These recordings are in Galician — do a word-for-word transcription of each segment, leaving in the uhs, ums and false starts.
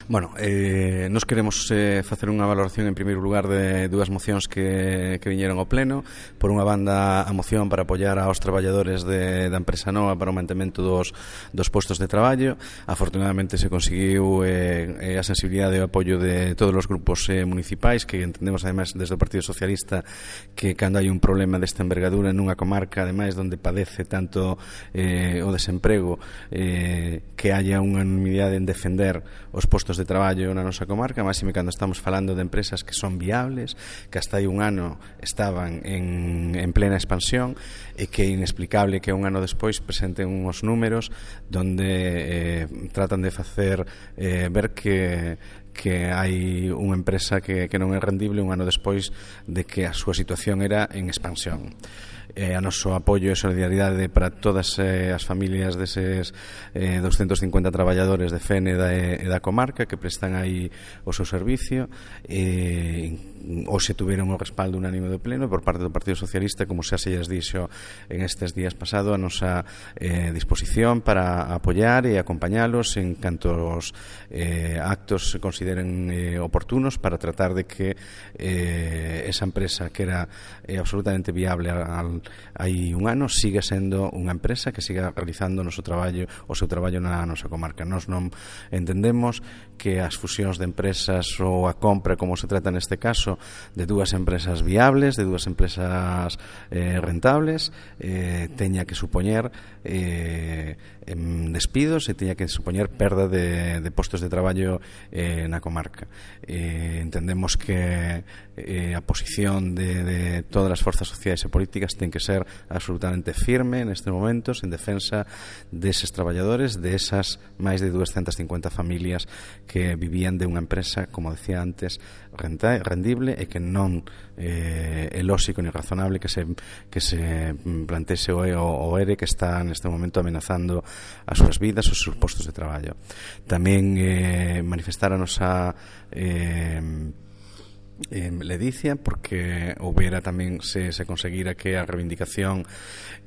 Bueno, eh, nos queremos eh, facer unha valoración en primeiro lugar de dúas mocións que, que viñeron ao pleno. Por unha banda, a moción para apoiar aos traballadores de, da empresa nova para o mantemento dos, dos postos de traballo. Afortunadamente se conseguiu eh, a sensibilidade e o apoio de todos os grupos eh, municipais, que entendemos ademais desde o Partido Socialista que cando hai un problema desta envergadura nunha comarca ademais onde padece tanto eh, o desemprego, eh, que haya unha unanimidade en defender os postos de traballo na nosa comarca, máxime cando estamos falando de empresas que son viables, que hasta hai un ano estaban en, en plena expansión e que é inexplicable que un ano despois presenten uns números donde eh, tratan de facer eh, ver que que hai unha empresa que, que non é rendible un ano despois de que a súa situación era en expansión. Eh, a noso apoio e solidaridade para todas eh, as familias deses eh, doscientos cincuenta traballadores de Fene da, e da comarca que prestan aí o seu servicio. Eh, hoxe tuveron o respaldo unánime do pleno por parte do Partido Socialista, como xa se lles dixo en estes días pasado, a nosa eh, disposición para apoiar e acompañalos en cantos eh, actos se consideren eh, oportunos para tratar de que eh, esa empresa que era eh, absolutamente viable al hai un ano siga sendo unha empresa que siga realizando o noso traballo, o seu traballo na nosa comarca. Nós non entendemos que as fusións de empresas ou a compra, como se trata neste caso, de dúas empresas viables, de dúas empresas eh, rentables, eh, teña que supoñer eh, despidos e teña que supoñer perda de, de postos de traballo eh, na comarca. Eh, entendemos que eh, a posición de, de todas as forzas sociais e políticas ten que ser absolutamente firme nestes momentos en defensa deses traballadores, de esas máis de doscientas cincuenta familias que vivían de unha empresa, como decía antes, renta, rendible e que non eh, é lóxico ni razonable que se, que se plantese o, o ERE que está neste momento amenazando as súas vidas, os seus postos de traballo. Tamén eh, manifestar a nosa eh, eh, ledicia porque houbera tamén se, se conseguira que a reivindicación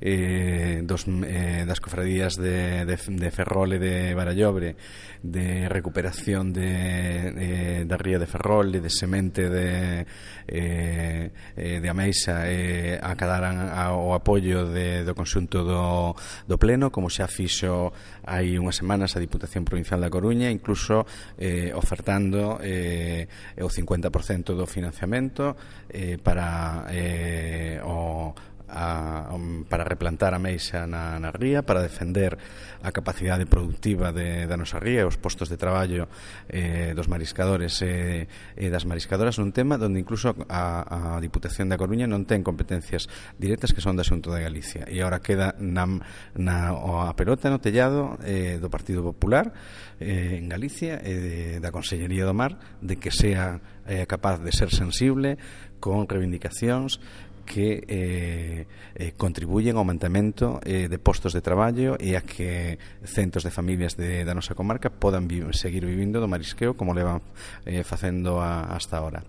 eh, dos, eh, das cofradías de, de, de Ferrol e de Barallobre, de recuperación de, de, da ría de Ferrol e de semente de, eh, de Ameixa eh, acadaran ao apoio de, do conxunto do, do pleno, como xa fixo hai unhas semanas a Diputación Provincial da Coruña, incluso eh, ofertando eh, o cincuenta por cento do financiamento eh, para eh, o A, um, para replantar a meixa na, na ría, para defender a capacidade productiva de, da nosa ría e os postos de traballo eh, dos mariscadores e, e das mariscadoras, nun tema onde incluso a, a Diputación da Coruña non ten competencias directas que son da Xunta de Galicia e agora queda na, na, a pelota no tellado eh, do Partido Popular eh, en Galicia e de, da Consellería do Mar de que sea eh, capaz de ser sensible con reivindicacións que eh, eh, contribuyen ao aumentamento eh, de postos de traballo e a que centos de familias de, da nosa comarca podan vi seguir vivindo do marisqueo como levan eh, facendo a, hasta ahora.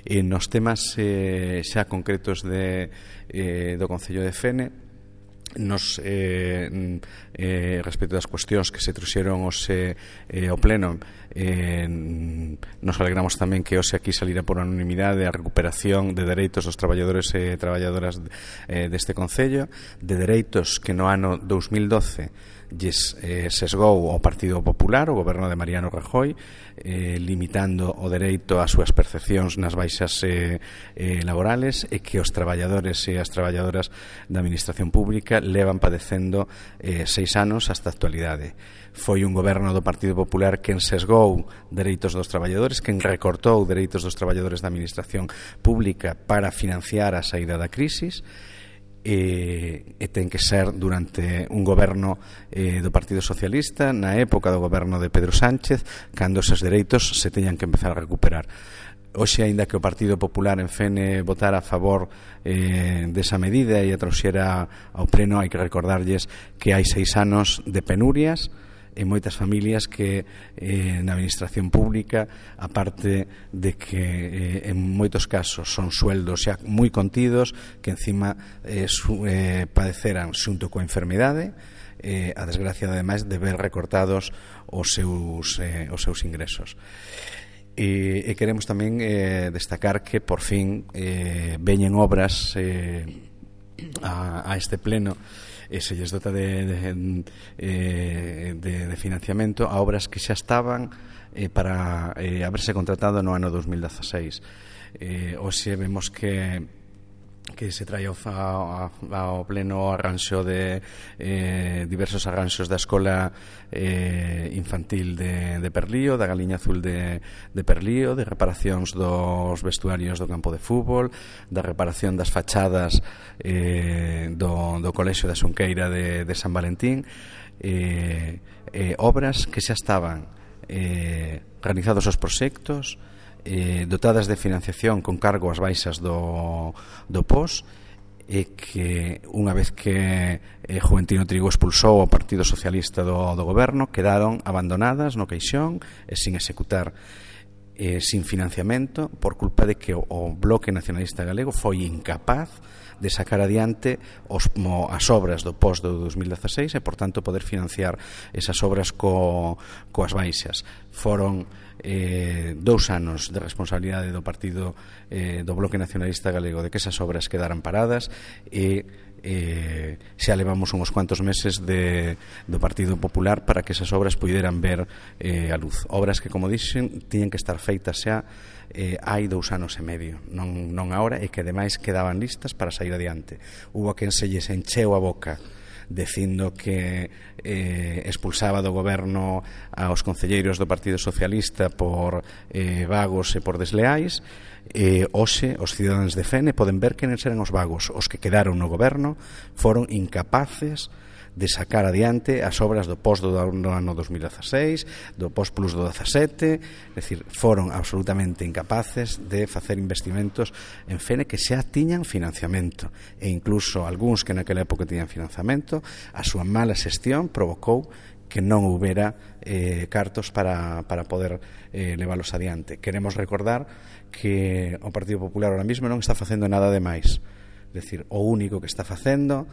E nos temas eh, xa concretos de, eh, do Concello de Fene, nos eh, eh, respecto das cuestións que se trouxeron hoxe eh, ao pleno, eh, nos alegramos tamén que hoxe aquí salira por unanimidade a recuperación de dereitos dos traballadores e traballadoras eh, deste Concello, de dereitos que no ano dous mil doce lles eh, sesgou o Partido Popular, o goberno de Mariano Rajoy, eh, limitando o dereito ás súas percepcións nas baixas eh, eh, laborales e que os traballadores e as traballadoras da Administración Pública levan padecendo eh, seis anos hasta a actualidade. Foi un goberno do Partido Popular quen sesgou dereitos dos traballadores, quen recortou dereitos dos traballadores da Administración Pública para financiar a saída da crisis. E, e ten que ser durante un goberno eh, do Partido Socialista, na época do goberno de Pedro Sánchez, cando esos dereitos se teñan que empezar a recuperar. Hoxe, aínda que o Partido Popular en Fene votara a favor eh, desa medida e a trouxera ao pleno, hai que recordarlles que hai seis anos de penurias e moitas familias que eh, na administración pública, aparte de que eh, en moitos casos son sueldos xa moi contidos, que encima eh, su, eh, padeceran xunto coa enfermidade eh, a desgracia ademais de ver recortados os seus, eh, os seus ingresos. E, e queremos tamén eh, destacar que por fin eh, veñen obras eh, a, a este pleno e se lles dota de, de, eh, de, de financiamento a obras que xa estaban eh, para eh, haberse contratado no ano dos mil dezaseis. Eh, hoxe vemos que que se trae ao, ao pleno arranxo de eh, diversos arranxos da escola eh, infantil de, de Perlío, da Galiña Azul de, de Perlío, de reparacións dos vestuarios do campo de fútbol, da reparación das fachadas eh, do, do Colexio da Xunqueira de, de San Valentín, eh, eh, obras que xa estaban eh, realizados os proxectos, Eh, dotadas de financiación con cargo ás baixas do, do P O S, e que unha vez que eh, Juventino Trigo expulsou o Partido Socialista do, do goberno, quedaron abandonadas no caixón e sin executar, eh, sin financiamento, por culpa de que o, o Bloque Nacionalista Galego foi incapaz de sacar adiante os, mo, as obras do P O S do dos mil dezaseis e, por tanto, poder financiar esas obras co, coas baixas. Foron eh, dous anos de responsabilidade do partido eh, do Bloque Nacionalista Galego de que esas obras quedaran paradas e eh, xa levamos uns cuantos meses de, do Partido Popular para que esas obras puideran ver eh, a luz. Obras que, como dixen, tiñen que estar feitas xa eh, hai dous anos e medio, non, non agora, e que ademais quedaban listas para sair adiante. Hubo quen se lles encheu a boca dicindo que eh, expulsaba do goberno aos concelleiros do Partido Socialista por eh, vagos e por desleais. E hoxe os cidadáns de Fene poden ver que non eran os vagos. Os que quedaron no goberno foron incapaces de sacar adiante as obras do P O S do ano dos mil dezaseis, do P O S Plus do dezasete, é dicir, foron absolutamente incapaces de facer investimentos en Fene que xa tiñan financiamento, e incluso algúns que naquela época tiñan financiamento, a súa mala xestión provocou que non houbera eh, cartos para, para poder eh, leválos adiante. Queremos recordar que o Partido Popular ahora mesmo non está facendo nada de máis, é dicir, o único que está facendo,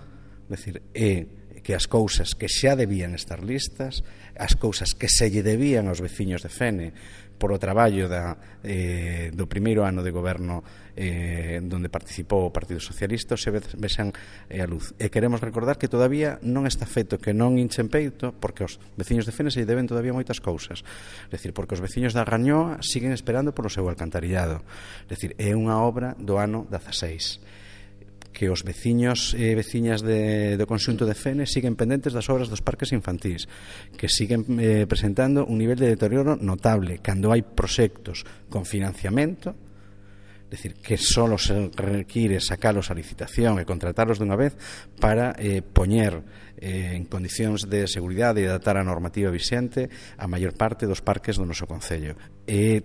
é dicir, é que as cousas que xa debían estar listas, as cousas que se lle debían aos veciños de Fene por o traballo da, eh, do primeiro ano de goberno eh, donde participou o Partido Socialista, se vexan eh, a luz. E queremos recordar que todavía non está feito, que non hinchen peito, porque os veciños de Fene se lle deben todavía moitas cousas. É dicir, porque os veciños da Rañoa siguen esperando polo seu alcantarillado. É dicir, é unha obra do ano dezaseis. Que os veciños e veciñas de, do conxunto de Fene siguen pendentes das obras dos parques infantís, que siguen eh, presentando un nivel de deterioro notable cando hai proxectos con financiamento, é dicir, que só se require sacalos a licitación e contratalos dunha vez para eh, poñer eh, en condicións de seguridade e adaptar a normativa vixente a maior parte dos parques do noso concello. É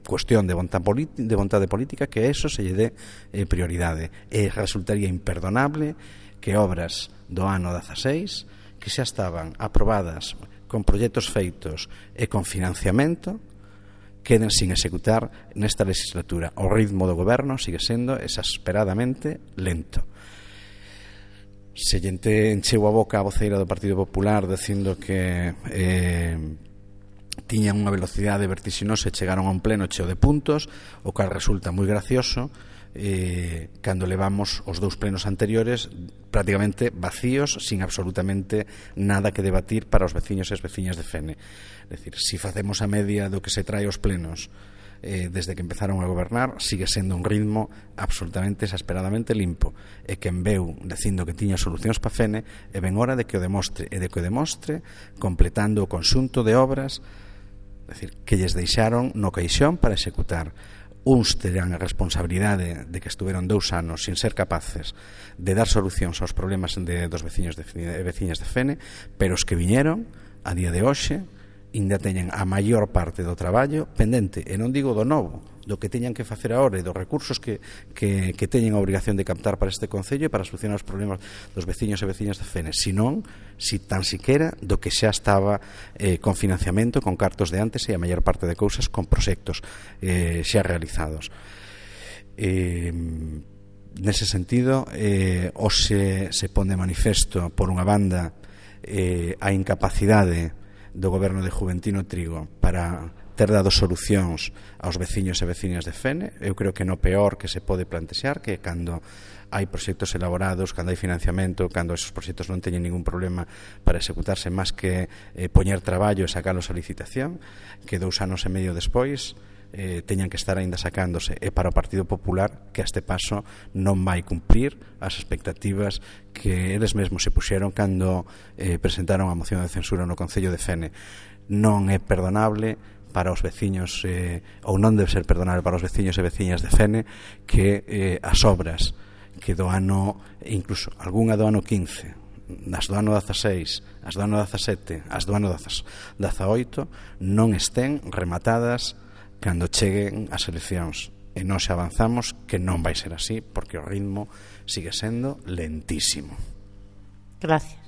cuestión de vontade, de vontade política que eso se lle dé eh, prioridade. E resultaría imperdonable que obras do ano dezaseis, que xa estaban aprobadas con proxectos feitos e con financiamento, queden sin executar nesta legislatura. O ritmo do goberno sigue sendo exasperadamente lento. Se lle encheu a boca a voceira do Partido Popular dicindo que eh, tiñan unha velocidade vertixinosa e chegaron a un pleno cheo de puntos, o cal resulta moi gracioso eh, cando levamos os dous plenos anteriores prácticamente vacíos, sin absolutamente nada que debatir para os veciños e as veciñas de Fene. É dicir, se facemos a media do que se trae aos plenos eh, desde que empezaron a gobernar, sigue sendo un ritmo absolutamente exasperadamente limpo, e quen veu dicindo que tiña solucións para Fene e ben hora de que o demostre, e de que o demostre completando o conxunto de obras, é dicir, que lles deixaron no caixón para executar. Uns terán a responsabilidade de que estuveron dous anos sin ser capaces de dar solucións aos problemas de, dos veciños de, de veciñas de Fene, pero os que viñeron a día de hoxe ainda teñen a maior parte do traballo pendente, e non digo do novo, do que teñan que facer agora e dos recursos que, que, que teñen a obrigación de captar para este concello e para solucionar os problemas dos veciños e veciñas de Fene, senón, si tan siquera, do que xa estaba eh, con financiamento, con cartos de antes e a maior parte de cousas con proxectos eh, xa realizados. Eh, nese sentido, eh, hoxe se pon de manifesto, por unha banda, eh, a incapacidade do goberno de Juventino Trigo para ter dado solucións aos veciños e veciñas de Fene. Eu creo que no peor que se pode plantexar, que cando hai proxectos elaborados, cando hai financiamento, cando esos proxectos non teñen ningún problema para executarse, máis que eh, poñer traballo e sacalos a licitación, que dous anos e medio despois eh, teñan que estar aínda sacándose, e para o Partido Popular, que a este paso non vai cumprir as expectativas que eles mesmos se puxeron cando eh, presentaron a moción de censura no Concello de Fene. Non é perdonable para os veciños, eh, ou non debe ser perdonable para os veciños e veciñas de Fene, que eh, as obras que do ano, incluso algunha do ano quince, as do ano dezaseis, as do ano dezasete, as do ano dezaoito, non estén rematadas cando cheguen as eleccións. E nós avanzamos que non vai ser así, porque o ritmo sigue sendo lentísimo. Gracias.